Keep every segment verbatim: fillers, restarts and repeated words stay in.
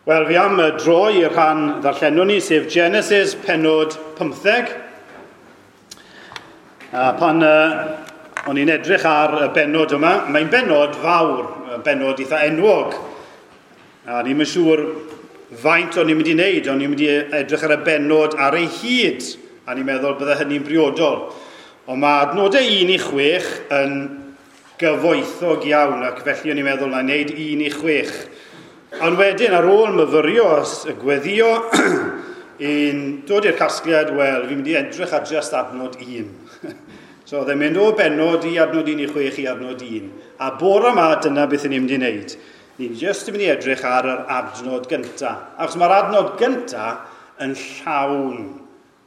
Wel, fi am droi i'r rhan ddarllenwn ni, sef Genesis pennod pymtheg. A pan uh, o'n i'n edrych ar y bennod yma, mae'n bennod fawr, bennod eitha enwog. A ni'n siŵr faint o'n i'n mynd i wneud, o'n i'n mynd i edrych ar y bennod ar ei hyd, a ni'n meddwl bydde hynny'n briodol. Ond mae adnodau un i chwech yn gyfoethog iawn, ac felly o'n i'n meddwl na wneud un i chwech. Ond wedyn, ar ôl myfyrio y gweddio, yn dod i'r casgliad, wel, fi'n mynd i edrych ar just adnod un. So, oedd e'n mynd o bennod i adnod un i chwech i adnod un. A bore yma, dyna beth ni'n mynd i wneud. Ni'n just yn mynd i edrych ar yr adnod gyntaf. Achos mae'r adnod gyntaf yn llawn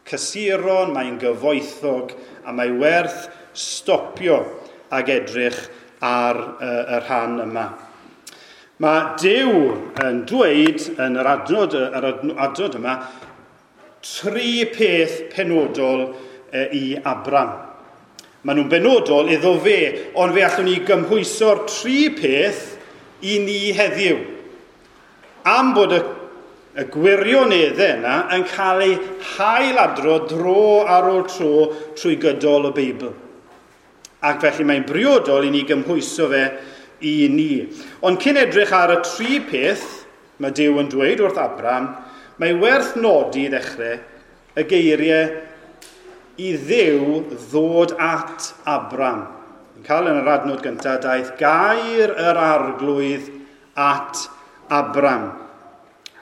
cysuron, mae'n gyfoethog, a mae werth stopio ag edrych ar y, y rhan yma. Mae Duw yn dweud yn yr adnod, yr adnod yma tri peth penodol i Abram. Maen nhw'n benodol iddo fe, ond fe allwn ni gymhwyso'r tri peth i ni heddiw. Am bod y, y gwirioneddau yna yn cael eu hailadrodd dro ar ôl tro trwy gydol y Beibl. Ac felly mae'n briodol i ni gymhwyso fe i ni. Ond cyn edrych ar y tri peth, mae Duw yn dweud wrth Abram, mae werth nodi i ddechrau y geiriau i Dduw ddod at Abram. Yn cael yn yr adnod gyntaf, daeth gair yr arglwydd at Abram.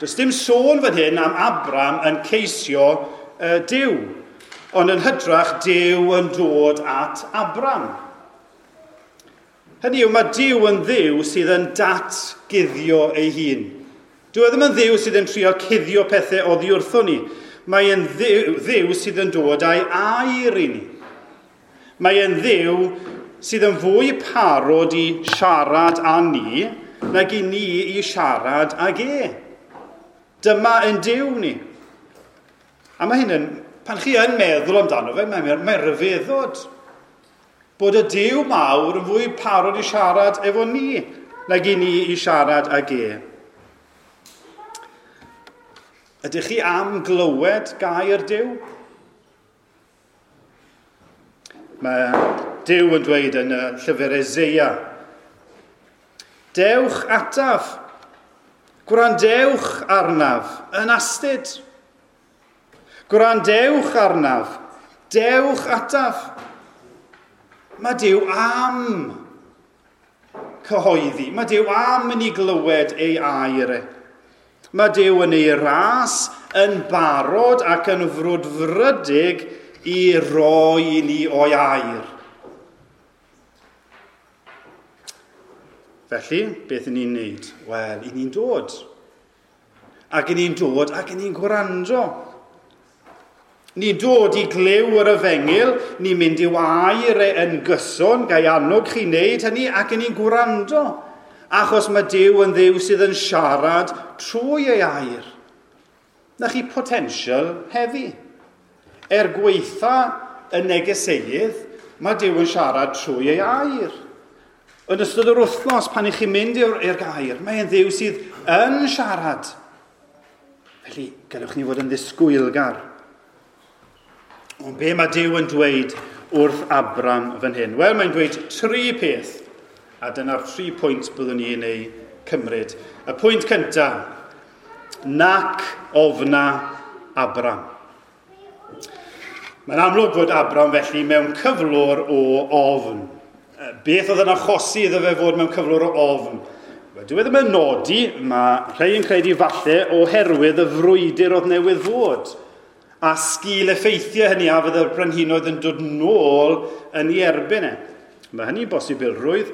Does dim sôn fan hyn am Abram yn ceisio uh, Duw, ond yn hytrach Duw yn dod at Abram. Hynny yw, mae Duw yn Dduw sydd yn datguddio ei hun. Dyw e ddim yn Dduw sydd yn trio cuddio pethau oddi wrtho ni. Mae e'n Dduw, Dduw sydd yn dod â'i air i ni. Mae e'n Dduw sydd yn fwy parod i siarad â ni nag i ni i siarad ag e. Dyma yn Duw ni. A mae hyn yn, pan chi yn meddwl amdano fe, mae'n mae rhyfeddod. Bod y Duw mawr yn fwy parod i siarad efo ni nag i ni i siarad ag e. Ydych chi am glywed gair Duw? Mae Duw yn dweud yn y llyfr Eseia, dewch ataf, gwrandewch arnaf yn astud. Gwrandewch arnaf, dewch ataf. Mae Duw am cyhoeddi. Mae Duw am yn ei glywed ei air e. Mae Duw yn ei ras yn barod ac yn frwdfrydig i roi i ni o'i air. Felly, beth y'n ni'n neud? Wel, y'n ni'n dod. Ac y'n ni'n dod ac y'n ni'n gwrando. Ni'n dod i glyw yr efengyl, ni'n mynd i'w air e yn gyson, gai annog chi wneud hynny, ac y'n ni'n gwrando. Achos mae Duw yn Dduw sydd yn siarad trwy ei air. Na chi potensial heddi. Er gweitha y negeseudd, mae Duw yn siarad trwy ei air. Yn ystod yr wythnos, pan i chi'n mynd i'r gair, mae'n Dduw sydd yn siarad. Felly, gallwch ni fod yn ddisgwylgar. Ond be mae Duw yn dweud wrth Abram fan hyn? Wel, mae'n dweud tri peth, a dyna'r tri pwynt byddwn ni'n ei cymryd. Y pwynt cyntaf, nac ofna Abram. Mae'n amlwg fod Abram felly mewn cyflwr o ofn. Beth oedd yn achosi iddo fe fod mewn cyflwr o ofn? Wel, dyw e ddim yn nodi, mae rhai yn credu falle oherwydd y frwydr oedd newydd fod. A sgil effeithiau hynny a fydd y brenhinoedd yn dod nôl yn ei erbyn e. Mae hynny'n bosibilrwydd,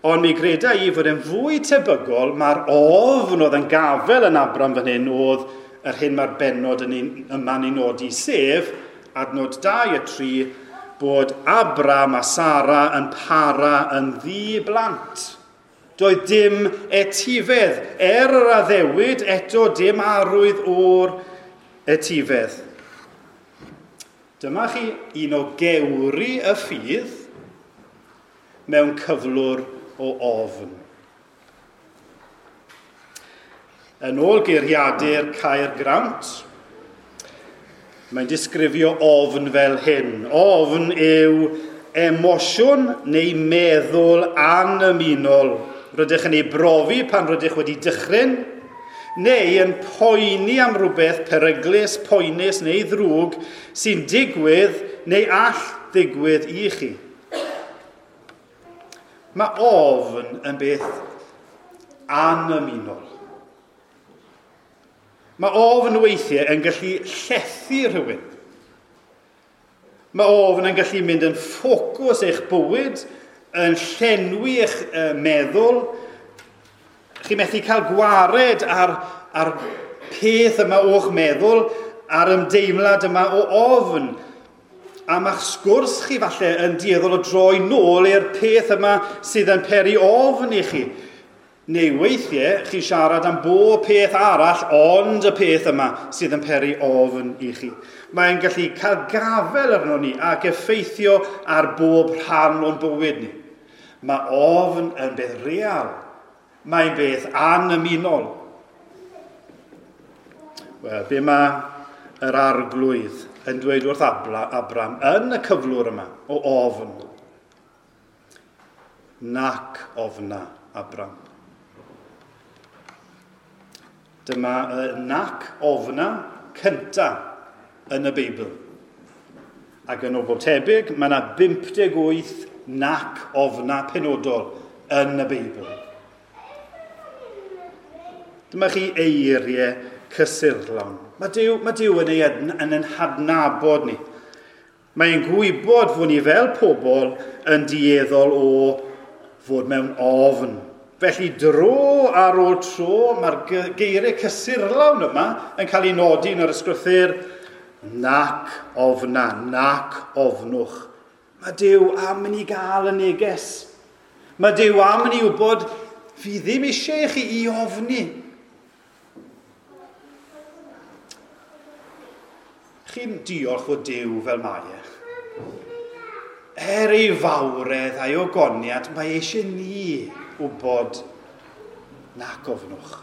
ond mi greda i fod e'n fwy tebygol, mae'r ofn oedd yn gafel yn Abram fan hyn oedd yr hyn mae'r bennod yn ein, yma'n ei nodi, sef adnod dau a tri, bod Abram a Sara yn para yn ddi-blant. Doedd dim etifedd, er yr addewid eto dim arwydd o'r etifedd. Dyma chi un o gewri y ffydd mewn cyflwr o ofn. Yn ôl geiriadur Caergrawnt, mae'n disgrifio ofn fel hyn. Ofn yw emosiwn neu meddwl anymunol. Rydych yn ei brofi pan rydych wedi dychryn, neu yn poeni am rhywbeth peryglus, poenus neu ddrwg sy'n digwydd neu all ddigwydd i chi. Mae ofn yn beth anymunol. Mae ofn weithiau yn gallu llethu rhywun. Mae ofn yn gallu mynd yn ffocws eich bywyd, yn llenwi eich meddwl. Chi methu cael gwared ar, ar peth yma o'ch meddwl, a'r ymdeimlad yma o ofn. A mae'ch sgwrs chi falle yn dueddol o droi nôl i'r peth yma sydd yn peri ofn i chi. Neu weithiau, chi siarad am bob peth arall, ond y peth yma sydd yn peri ofn i chi. Mae'n gallu cael gafel arno ni ac effeithio ar bob rhan o'n bywyd ni. Mae ofn yn beth real. Mae'n beth anymunol. Wel, be mae yr Arglwydd yn dweud wrth Abram yn y cyflwr yma o ofn? Nac ofna, Abram. Dyma y nac ofna cynta yn y Beibl. Ac yn o bob tebyg, mae yna bump deg wyth nac ofna penodol yn y Beibl. Dyma chi eiriau cysurlawn. Mae Duw, mae Duw yn ei yn ein hadnabod ni. Mae'n gwybod fod ni fel pobl yn dueddol o fod mewn ofn. Felly dro ar ôl tro, mae'r geiriau cysurlawn yma yn cael ei nodi yn yr ysgrythur, nac ofna, nac ofnwch. Mae Duw am i ni gael y neges. Mae Duw am i ni wybod, fi ddim eisiau i chi i ofni. Chi'n diolch o Duw fel mae e. Er ei fawredd a'i ogoniad, mae eisiau ni wybod nac ofnwch.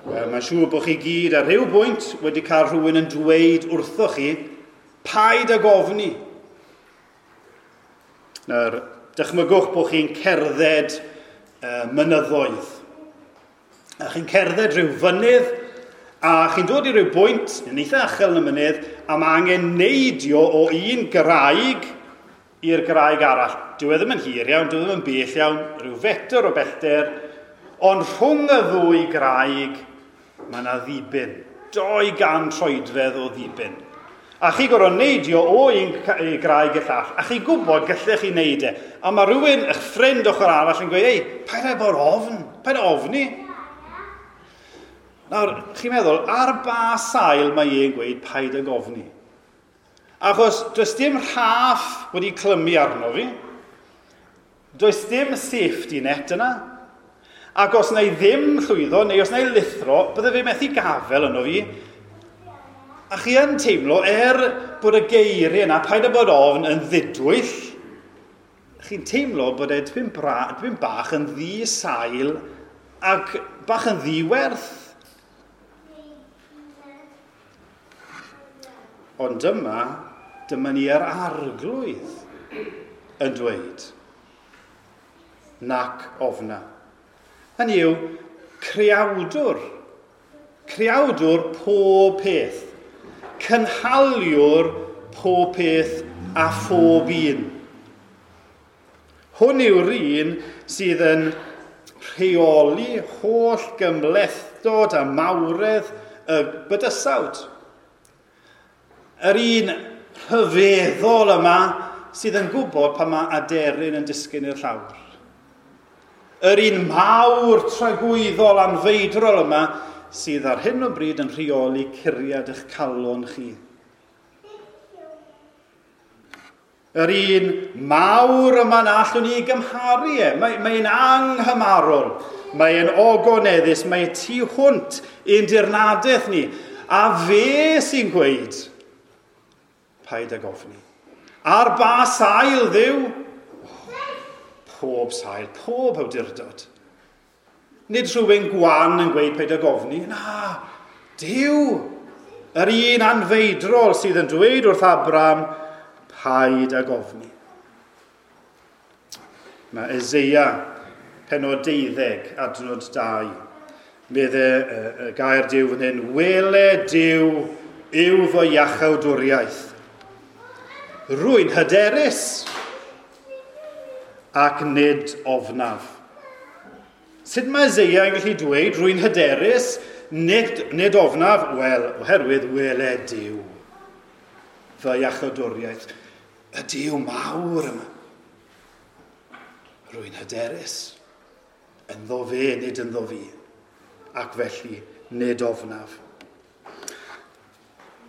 Wel, mae'n siŵr bod chi gyd ar rhyw bwynt wedi cael rhywun yn dweud wrthoch chi, paid ag ofni. Nawr, dychmygwch bod chi'n cerdded uh, mynyddoedd. A chi'n cerdded rhyw fynydd, a chi'n dod i ryw bwynt, yn eitha uchel yn y mynydd, a mae angen neidio o un graig i'r graig arall. Dyw e ddim yn hir iawn, dyw e ddim yn bell iawn, rhyw fetr o bellter, ond rhwng y ddwy graig mae yna ddibyn. Doi gan troedfedd o ddibyn. A chi gorfod neidio o un graig i'r llall, a chi'n gwybod gallech chi neud e. A mae rhywun, eich ffrind ochr arall, yn gweud, ei, paid â bod ofn, paid â ofni. Nawr, chi'n meddwl, ar ba sail mae e'n gweud paid ag ofni? Achos does dim rhaff wedi clymu arno fi, does dim safety net yna, ac os na i ddim llwyddo, neu os na i lithro, bydde fe methu gafel yno fi. A chi yn teimlo, er bod y geiriau yna, paid â bod ofn, yn ddidwyll, chi'n teimlo bod e dipyn, bra, dipyn bach yn ddi-sail ac bach yn ddiwerth. Ond dyma, dyma ni yr Arglwydd yn dweud, nac ofna. Hynny yw, creawdwr, creawdwr pob peth, cynhaliwr pob peth a phob un. Hwn yw'r un sydd yn rheoli holl gymhlethdod a mawredd y bydysawd. Yr un rhyfeddol yma sydd yn gwybod pan mae aderyn yn disgyn i'r llawr. Yr un mawr tragwyddol anfeidrol yma sydd ar hyn o bryd yn rheoli curiad eich calon chi. Yr un mawr yma na allwn ni gymharu e. Mae, mae'n anghymarol, mae'n ogoneddus, mae tu hwnt i'n dirnadaeth ni. A fe sy'n gweud, paid ag ofni. Ar ba sail Dduw? Oh, pob sail, pob awdurdod. Nid rhywun gwan yn gweud paid ag ofni. Na, Duw, yr un anfeidrol sydd yn dweud wrth Abram, paid ag ofni. Mae Eseia, pennod deuddeg, adnod dau. Medde y gair Duw fan hyn, wele Duw yw fy iachawdwriaeth. Rwy'n hyderus ac nid ofnaf. Sut mae Eseia yn gallu dweud rwy'n hyderus, nid, nid ofnaf? Wel, oherwydd wele Duw fy iachawdwriaeth. Y Duw mawr yma. Rwy'n hyderus. Ynddo fe, nid ynddo fi. Ac felly, nid ofnaf.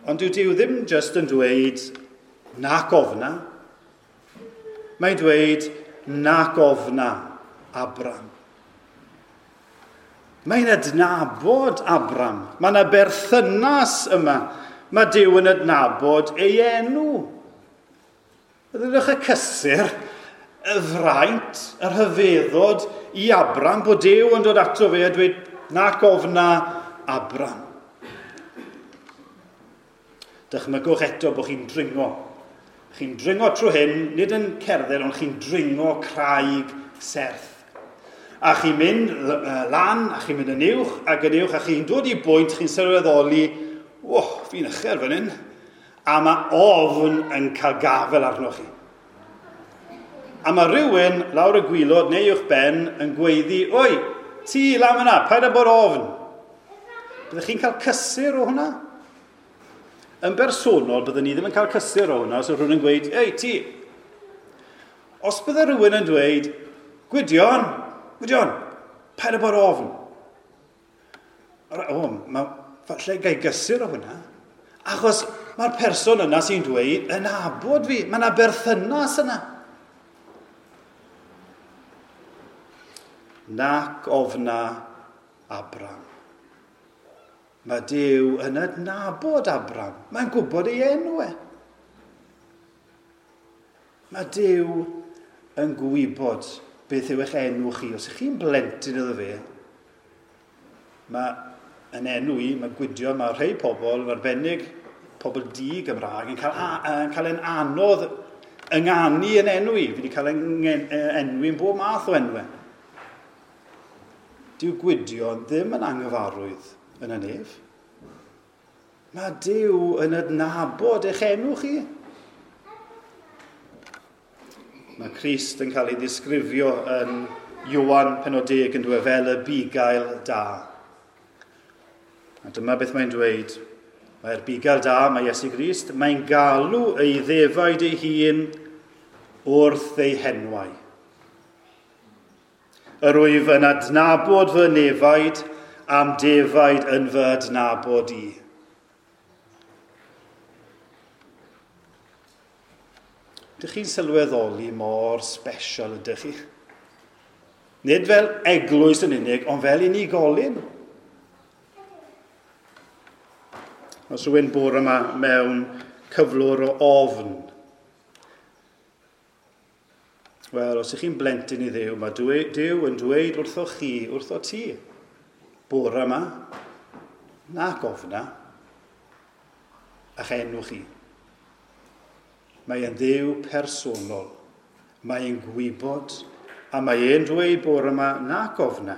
Ond dyw Duw ddim jyst yn dweud nac ofna. Mae'n dweud nac ofna Abram. Mae'n adnabod Abram. Mae yna berthynas yma. Mae Duw yn adnabod ei enw. Ydych y cysur, y fraint, y rhyfeddod i Abram, bod Duw yn dod ato fe a dweud nac ofna Abram. Dychmygwch eto bod chi'n dringo. Chi'n dringo trwy hyn, nid yn cerdded, ond chi'n dringo craig serth. A chi'n mynd lan, a chi'n mynd yn uwch, ac yn uwch, a chi'n dod i bwynt, chi'n sylweddoli, oh, fi'n uchel fan hyn. A mae ofn yn cael gafel arnoch chi. A mae rhywun lawr y gwilod neu uwch ben yn gweiddi, oi, ti lan yna, paid â bod ofn. Byddech chi'n cael cysur o hwnna? Yn bersonol, byddwn ni ddim yn cael cysur o hwnna os oedd rhywun yn gweud, ei, ti. Os bydde rhywun yn dweud, Gwydion, Gwydion, paid â bod ofn. O, mae, falle gai gysur o hwnna. Achos mae'r person yna sy'n dweud yn nabod fi, mae yna berthynas yna. Nac ofna Abram. Mae Duw yn adnabod Abram. Mae'n gwybod ei enw e. Mae Duw yn gwybod beth yw eich enw chi. Os ych chi'n blentyn iddo fe, mae yn enw i, mae Gwydion, mae rhai pobl, yn arbennig pobl di Gymraeg, yn cael, yn cael yn anodd ynganu yn enw i. Fi wedi cael enwi yn bob math o enwau. Dyw Gwydion ddim yn anghyfarwydd yn y nef. Mae Duw yn adnabod eich enw chi. Mae Crist yn cael ei ddisgrifio yn Ioan pennod deg yn dweud fel y bugail da. A dyma beth mae'n dweud. Mae'r bugail da, mae Iesu Grist, mae'n galw ei ddefaid ei hun wrth ei henwau. Yr wyf yn adnabod fy nefaid am defaid yn fy adnabod i. Dych chi'n sylweddoli mor special ydych chi? Nid fel eglwys yn unig, ond fel unigolyn. Os rhywun bore yma mewn cyflwr o ofn, wel, os ych chi'n blentyn i Dduw, mae Duw yn dweud wrtho chi, wrtho ti, bore yma, nac ofna, a'ch enw chi. Mae e'n Dduw personol, mae e'n gwybod, a mae e'n dweud bore yma, nac ofna.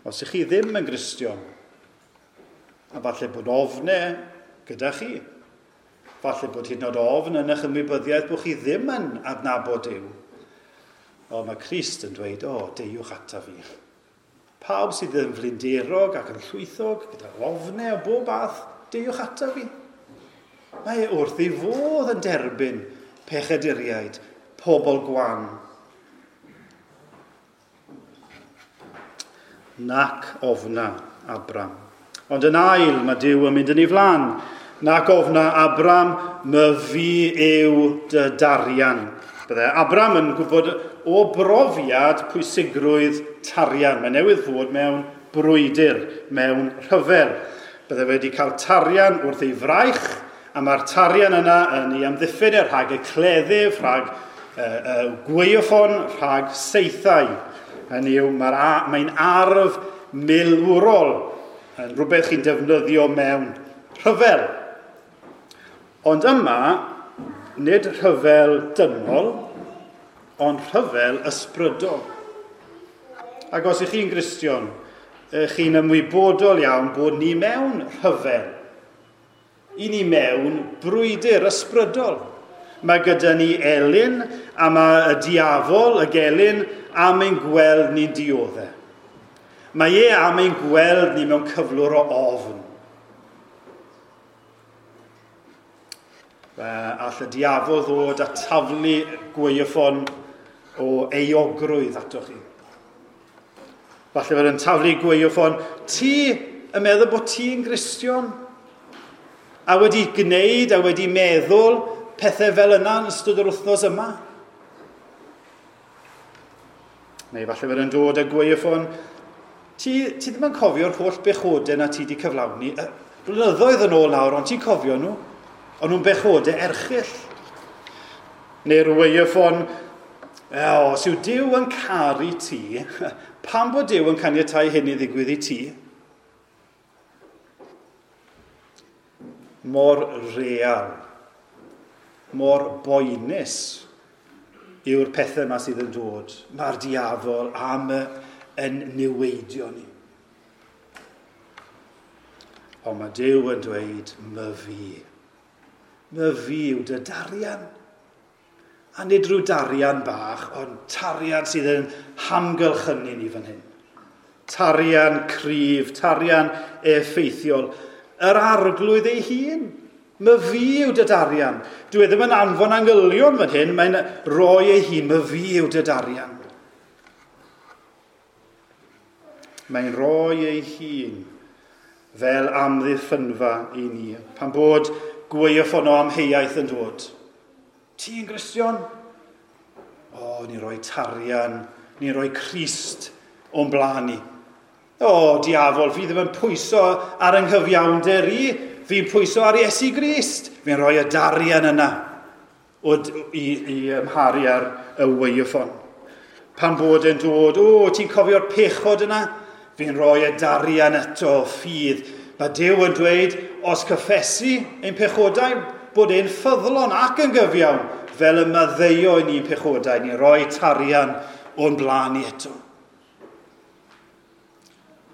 Os ych chi ddim yn Gristion, a falle bod ofne gyda chi, falle bod hyd yn oed ofn yn eich ymwybyddiaeth bod chi ddim yn adnabod Duw. O, mae Crist yn dweud, o, deiwch ata fi. Pawb sydd yn flinderog ac yn llwythog, gyda ofnau o bob bath, deiwch ata fi. Mae e wrth ei fodd yn derbyn pechaduriaid, pobl gwan. Nac ofna Abram. Ond yn ail, mae Duw yn mynd yn ei flan. Nac ofna Abram, my fi yw dy darian. Bydde Abram yn gwybod o brofiad pwysigrwydd tarian. Mae newydd fod mewn brwydr, mewn rhyfel. Bydde wedi cael tarian wrth ei fraich, a mae'r tarian yna yn ei amddiffyn e rhag y cleddyf, rhag uh, uh, gwaywffon, rhag saethau. Hynny yw, mae'n mae arf milwrol, yn rhywbeth chi'n defnyddio mewn rhyfel. Ond yma, nid rhyfel dynol, ond rhyfel ysbrydol. Ac os ych chi'n Gristion, chi'n ymwybodol iawn bod ni mewn rhyfel. I ni mewn brwydr ysbrydol. Mae gyda ni elyn, a mae y diafol, y gelyn, am ein gweld ni'n dioddef. Mae e am ein gweld ni mewn cyflwr o ofn. Fe all y diafol ddod a taflu gwaywffon o euogrwydd atoch chi. Falle fod yn taflu gwaywffon, ti yn meddwl bod ti'n Gristion? A wedi gwneud a wedi meddwl pethau fel yna yn ystod yr wythnos yma? Neu falle fod yn dod â gwaywffon, ti, ti ddim yn cofio'r holl bechodau na ti wedi cyflawni. Blynyddoedd yn ôl nawr, ond ti'n cofio nhw? Ond nhw'n bechodau erchyll. Neu'r waywffon, os yw Duw yn caru ti, pam bod Duw yn caniatáu hyn i ddigwydd i ti? Mor real, mor boenus yw'r pethau yma sydd yn dod. Mae'r diafol am yn niweidio ni. Ond mae Duw yn dweud, myfi. Myfi yw dy darian. A nid rhyw darian bach, ond tarian sydd yn hamgylchynu ni fan hyn. Tarian cryf, tarian effeithiol. Yr arglwydd ei hun. Myfi yw dy darian. Dwi ddim yn anfon angylion fan hyn, mae'n rhoi ei hun. Myfi yw dy darian. Mae'n rhoi ei hun fel amddiffynfa i ni. Pan bod gwaywffon o amheuaeth yn dod. Ti'n Gristion? O, ni'n rhoi tarian, ni'n rhoi Crist o'n blaen ni. O, diafol, fi ddim yn pwyso ar yng nghyfiawnder i, fi'n pwyso ar Iesu Grist. Fi'n rhoi y darian yna o, i, i ymharu ar y waywffon. Pan bod yn dod, o, ti'n cofio'r pechod yna? Fi'n rhoi y darian eto, ffydd. Mae Duw yn dweud, os cyffesu ein pechodau, bod e'n ffyddlon ac yn gyfiawn, fel y maddeuo i ni'n pechodau, ni'n rhoi tarian o'n blaen ni eto.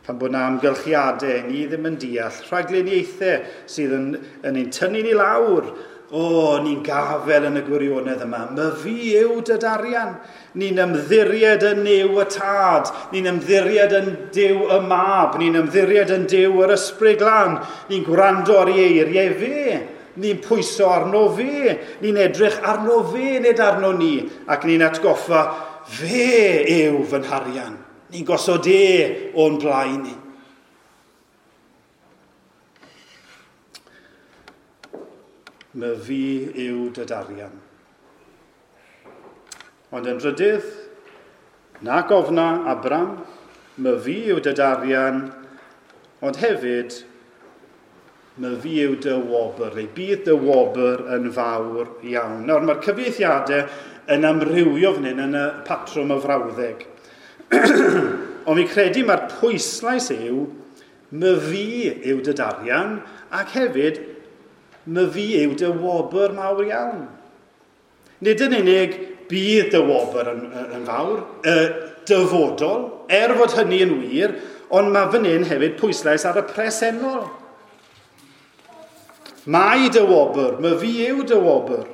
Pan bod yna amgylchiadau, ni ddim yn deall, rhagluniaethau sydd yn, yn ein tynnu ni lawr, o, ni'n gafel yn y gwirionedd yma. Myfi yw dy darian. Ni'n ymddiried yn Nuw y Tad. Ni'n ymddiried yn Duw y Mab. Ni'n ymddiried yn Duw yr Ysbryd Glân. Ni'n gwrando ar ei eiriau fe. Ni'n pwyso arno fe. Ni'n edrych arno fe, nid arno ni. Ac ni'n atgoffa, fe yw fy nharian. Ni'n gosod e o'n blaen ni. Myfi yw dy darian. Ond yn drydydd, na gofna Abram, myfi yw dy darian, ond hefyd, myfi yw dy wobr, neu bydd dy wobr yn fawr iawn. Nawr, mae'r cyfieithiadau yn amrywio fan hyn yn y patrwm y frawddeg. Ond fi'n credu mae'r pwyslais yw, myfi yw dy darian, ac hefyd, myfi yw dy wobr mawr iawn. Nid yn unig bydd dy wobr yn, yn fawr, y dyfodol, er fod hynny yn wir, ond mae fan hyn hefyd pwyslais ar y presennol. Mae dy wobr, myfi yw dy wobr.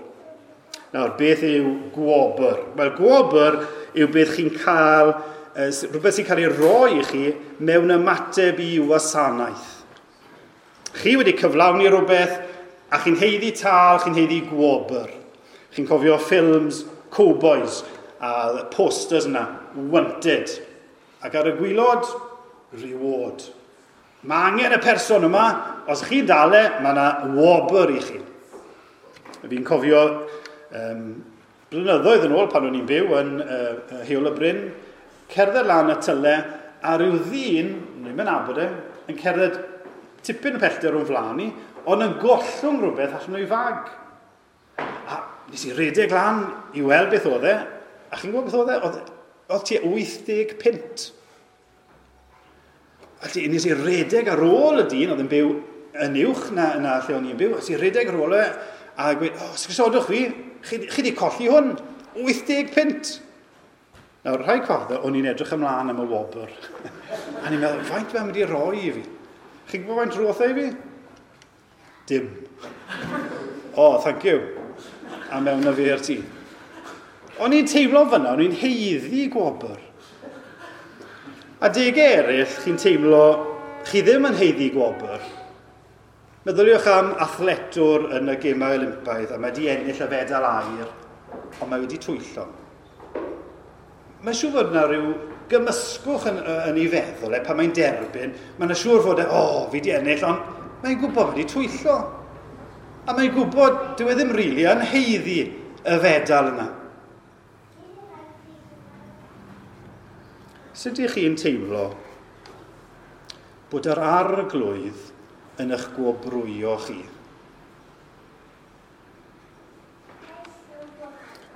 Nawr, beth yw gwobr? Wel, gwobr yw beth chi'n cael, rhywbeth sy'n cael ei roi i chi mewn ymateb i wasanaeth. Chi wedi cyflawni rhywbeth, a chi'n haeddu tâl, chi'n haeddu gwobr. Chi'n cofio ffilms cowboys a posters yna, wanted. Ac ar y gwaelod, reward. Mae angen y person yma, os chi'n dal e, mae yna wobr i chi. Fi'n cofio um, blynyddoedd yn ôl pan o'n i'n byw yn uh, Heol y Bryn, cerdded lan y tyle, a rhyw ddyn, ni'n mynd nabod e, yn cerdded tipyn o pellter o'n flaen i, ond yn gollwng rhywbeth allan o'i fag. A nes i redeg lan i weld beth oedd e, a chi'n gwybod beth oedd e? Oedd Oedd tua wyth deg punt. Felly, nes i redeg ar ôl y dyn, oedd yn byw yn uwch na, na lle o'n i'n byw, nes i redeg ar ôl e, a gweud, o, oh, sgrisodwch fi, chi, chi di colli hwn, wyth deg punt. Nawr, rhai cofio, o'n i'n edrych ymlaen am y wobr. A ni'n meddwl, faint mae'n mynd i roi i fi? Chi'n gwybod faint roth e i fi? Dim. O, oh, thank you. A mewn na fi i'r tŷ. O'n i'n teimlo fyna, o'n i'n haeddu gwobr. A degau eraill, chi'n teimlo, chi ddim yn haeddu gwobr. Meddyliwch am athletwr yn y Gemau Olympaidd, a mae wedi ennill y fedal aur, ond mae wedi twyllo. Mae'n siŵr fod yna rhyw gymysgwch yn, yn ei feddwl e, pan mae'n derbyn. Mae'n siŵr fod e, o, oh, fi wedi ennill, ond mae'n gwybod wedi twyllo. A mae'n gwybod, dyw e ddim rili really yn haeddu y fedal yna. Sut ydych chi'n teimlo bod yr arglwydd yn eich gwobrwyo chi?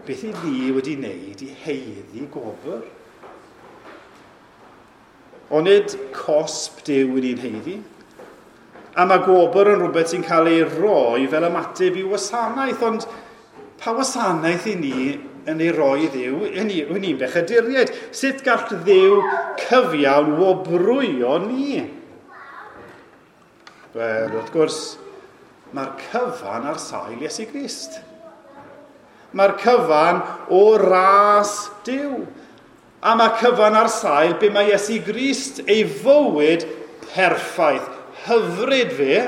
Beth i ni wedi wneud i haeddu gwobr? Onid cosb Duw yn ni'n haeddu? A mae gwobr yn rhywbeth sy'n cael ei roi fel ymateb i wasanaeth, ond pa wasanaeth i ni yn ei roi Dduw? Yn ni'n bechaduriaid. Sut gall Dduw cyfiawn wobrwyo ni? Wel, wrth gwrs, mae'r cyfan ar sail Iesu Grist. Mae'r cyfan o ras Duw. A mae cyfan ar sail be mae Iesu Grist ei fywyd perffaith, hyfryd fe,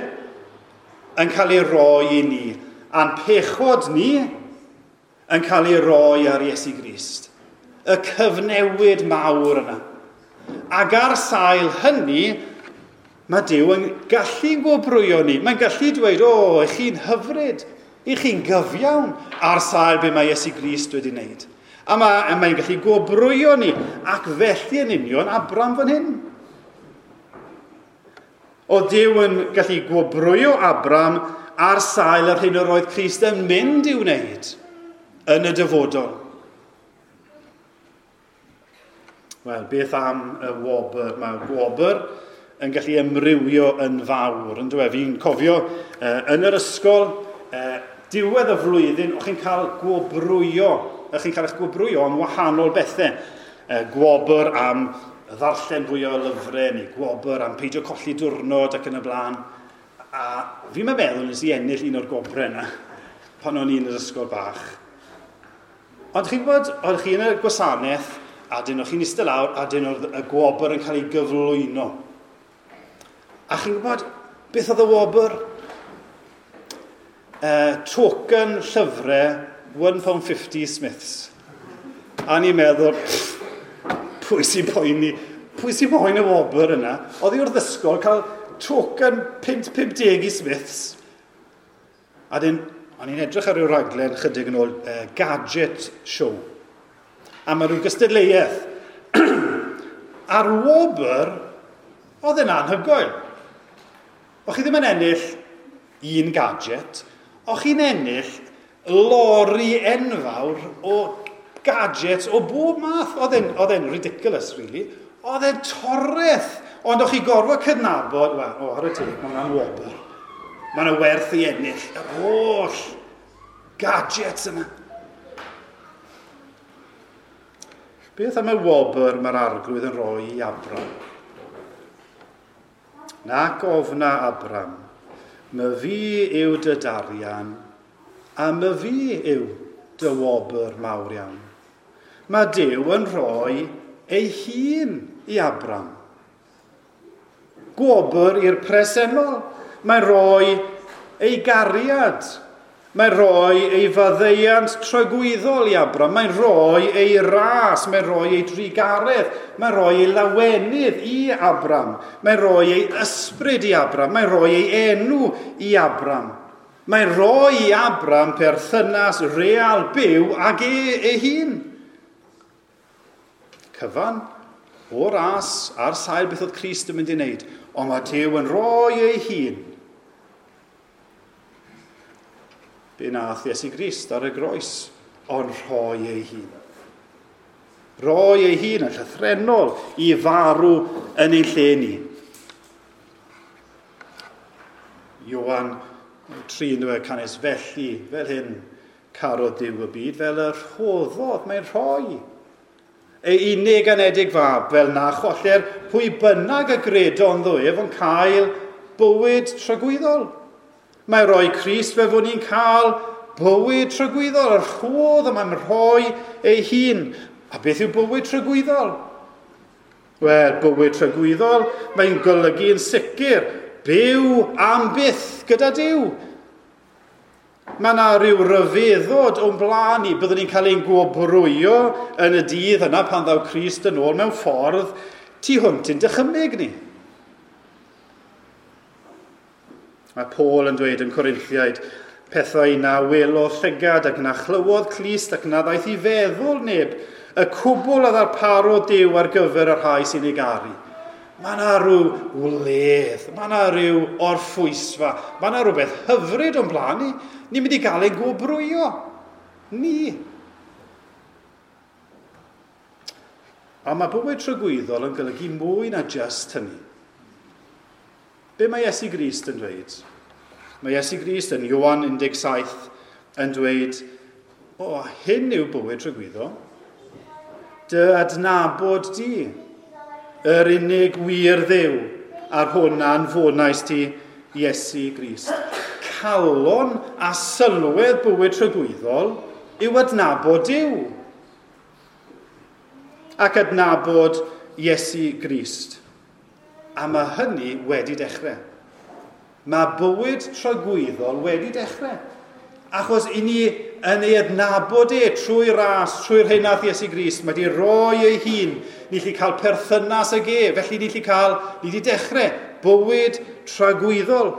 yn cael ei roi i ni. A'n pechod ni yn cael ei roi ar Iesu Grist. Y cyfnewid mawr yna. Ac ar sail hynny, mae Duw yn gallu gwobrwyo ni. Mae'n gallu dweud, o, oh, ych chi'n hyfryd, ych chi'n gyfiawn ar sail be mae Iesu Grist wedi wneud. A mae, mae'n gallu gwobrwyo ni, ac felly yn union Abram fan hyn. Oedd Duw yn gallu gwobrwyo Abram ar sail yr hyn yr oedd Crist yn mynd i'w wneud yn y dyfodol. Wel, beth am y wobr? Mae gwobr yn gallu amrywio yn fawr, yn dweud. Fi'n cofio uh, yn yr ysgol, uh, diwedd y flwyddyn, o'ch chi'n cael gwobrwyo, o'ch chi'n cael eich gwobrwyo am wahanol bethau. Uh, gwobr am ddarllen fwy o lyfrau, neu gwobr am peidio colli diwrnod ac yn y blaen. A fi'n meddwl nes i ennill un o'r gwobrau yna pan o'n i'n yr ysgol bach. Ond chi'n gwybod, oedd chi yn y gwasanaeth, a dyn o'ch chi'n eistedd lawr, a dyn oedd y gwobr yn cael ei gyflwyno. A chi'n gwybod, beth oedd y wobr? Uh, token llyfrau one pound fifty Smiths. A ni'n meddwl, pff, pwy sy'n poeni? Pwy sy'n poeni y wobr yna? Oedd hi wrth ysgol cael token punt pump deg i Smiths. A dyn, o'n i'n edrych ar ryw raglen chydig yn ôl, uh, Gadget Show. A mae rhyw gystadleuaeth. A'r wobr, oedd yn anhygoel. O'ch chi ddim yn ennill un gadget, o'ch chi'n ennill lori enfawr o gadgets o bob math. Oedd e'n ridiculous, really. Oedd e'n toreth. Ond o'ch chi gorfod cydnabod, wel, o, ar y teg, mae hwnna'n wobr. Mae yna werth i ennill yr holl gadgets yma. Beth am y wobr mae'r arglwydd yn rhoi i Abram? Nac ofna Abram, my fi yw dy darian, a my fi yw dy wobr mawr iawn. Mae Duw yn rhoi ei hun i Abram. Gwobr i'r presennol. Mae'n rhoi ei gariad. Mae'n rhoi ei faddeuant tragwyddol i Abram. Mae'n rhoi ei ras. Mae'n rhoi ei drugaredd. Mae'n rhoi ei lawenydd i Abram. Mae'n rhoi ei ysbryd i Abram. Mae'n rhoi ei enw i Abram. Mae'n rhoi i Abram perthynas real byw ag e ei hun. Cyfan o ras ar sail beth oedd Crist yn mynd i wneud. Ond mae Duw yn rhoi ei hun. Be nath Iesu Grist ar y groes, ond rhoi ei hun. Roi ei hun yn llythrennol i farw yn ein lle ni. Ioan tri yn dweud canys felly, fel hyn, carodd Duw y byd, fel y rhoddodd, mae'n rhoi. Ei unig anedig fab, fel na choller pwy bynnag y gredo ynddo ef yn cael bywyd tragwyddol. Mae'n rhoi Crist fel fod ni'n cael bywyd tragwyddol, y rhodd y mae'n rhoi ei hun. A beth yw bywyd tragwyddol? Wel, bywyd tragwyddol, mae'n golygu yn sicr byw am byth gyda Duw. Mae yna rhyw ryfeddod o'n blaen ni. Byddwn ni'n cael ein gwobrwyo yn y dydd yna pan ddaw Crist yn ôl mewn ffordd tu hwnt i'n dychymyg ni. Mae Paul yn dweud yn Corinthiaid, pethau na welodd llygad ac na chlywodd clust ac na ddaeth i feddwl neb, y cwbl a ddarparodd Duw ar gyfer y rhai sy'n ei garu. Mae yna rhyw wledd, mae yna rhyw orffwysfa, mae yna rhywbeth hyfryd o'n blaen ni. Ni'n mynd i gael ein gwobrwyo. Ni. A mae bywyd tragwyddol yn golygu mwy na just hynny. Be mae Iesu Grist yn dweud? Mae Iesu Grist yn Ioan un deg saith yn dweud, o, hyn yw bywyd tragwyddol. Dy adnabod di, yr unig wir Dduw, a'r hwn anfonais ti, Iesu Grist. Calon a sylwedd bywyd tragwyddol yw adnabod Duw ac adnabod Iesu Grist. A mae hynny wedi dechrau. Mae bywyd tragwyddol wedi dechrau. Achos i ni yn ei adnabod e trwy ras, trwy'r hyn nath Iesu Grist, mae wedi rhoi ei hun. Ni allu cael perthynas ag e, felly ni allu cael, ni wedi dechrau bywyd tragwyddol.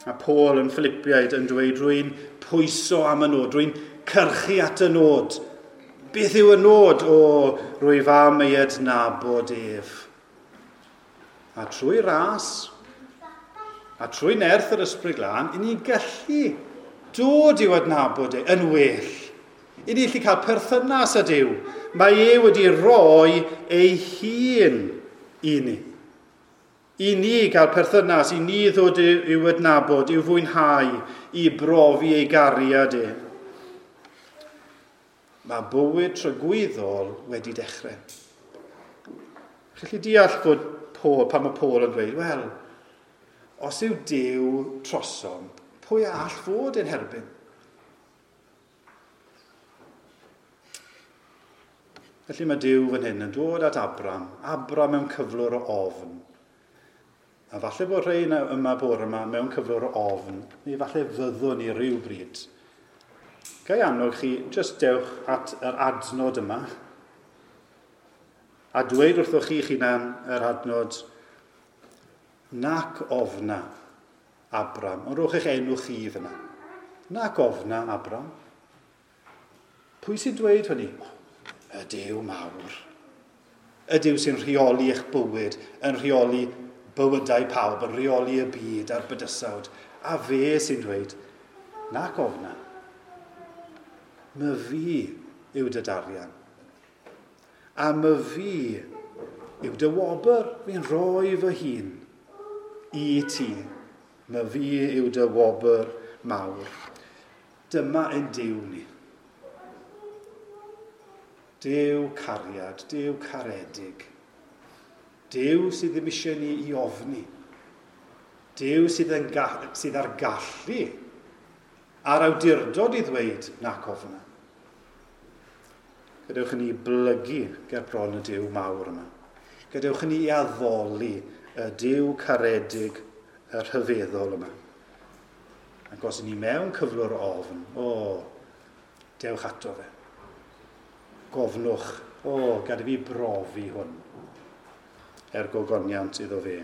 A Paul yn Philippiaid yn dweud, rwy'n pwyso am y nod, rwy'n cyrchu at y nod. Beth yw y nod? O, rwyf am ei adnabod ef. A trwy ras, a trwy nerth yr Ysbryd Glân, i ni'n gallu dod i'w adnabod e yn well. I ni allu cael perthynas â Duw. Mae e wedi rhoi ei hun i ni. I ni gael perthynas, i ni ddod i'w adnabod, i'w fwynhau, i brofi ei gariad e. Mae bywyd tragwyddol wedi dechrau. Chi'n gallu deall fod Paul, pan mae Paul yn dweud, wel, os yw Duw trosom, pwy all fod yn herbyn? Felly mae Duw fan hyn yn dod at Abram, Abram mewn cyflwr o ofn. A falle bod rhai yma bore yma mewn cyflwr o ofn, neu falle fyddwn ni ryw bryd. Ga i annog chi, jyst dewch at yr adnod yma, a dweud wrthoch chi'ch hunan yr adnod, nac ofna, Abram. Ond rhowch eich enw chi fyna. Nac ofna, Abram. Pwy sy'n dweud hynny? Y Duw mawr. Y Duw sy'n rheoli eich bywyd, yn rheoli bywydau pawb, yn rheoli y byd a'r bydysawd. A fe sy'n dweud, nac ofna. My fi yw dy darian. A my fi yw dy wobr, fi'n rhoi fy hun i ti. My fi yw dy wobr mawr. Dyma ein Duw ni. Duw cariad, Duw caredig. Duw sydd ddim eisiau ni i ofni. Duw sydd, yn ga- sydd ar gallu a'r awdurdod i ddweud nac ofna. Gadewch i ni blygu ger bron y Duw mawr yma. Gadewch i ni addoli y Duw caredig y rhyfeddol yma. Ac os ni mewn cyflwr o ofn, o, dewch ato fe. Gofnwch, o, gad i fi brofi hwn, er gogoniant iddo fe.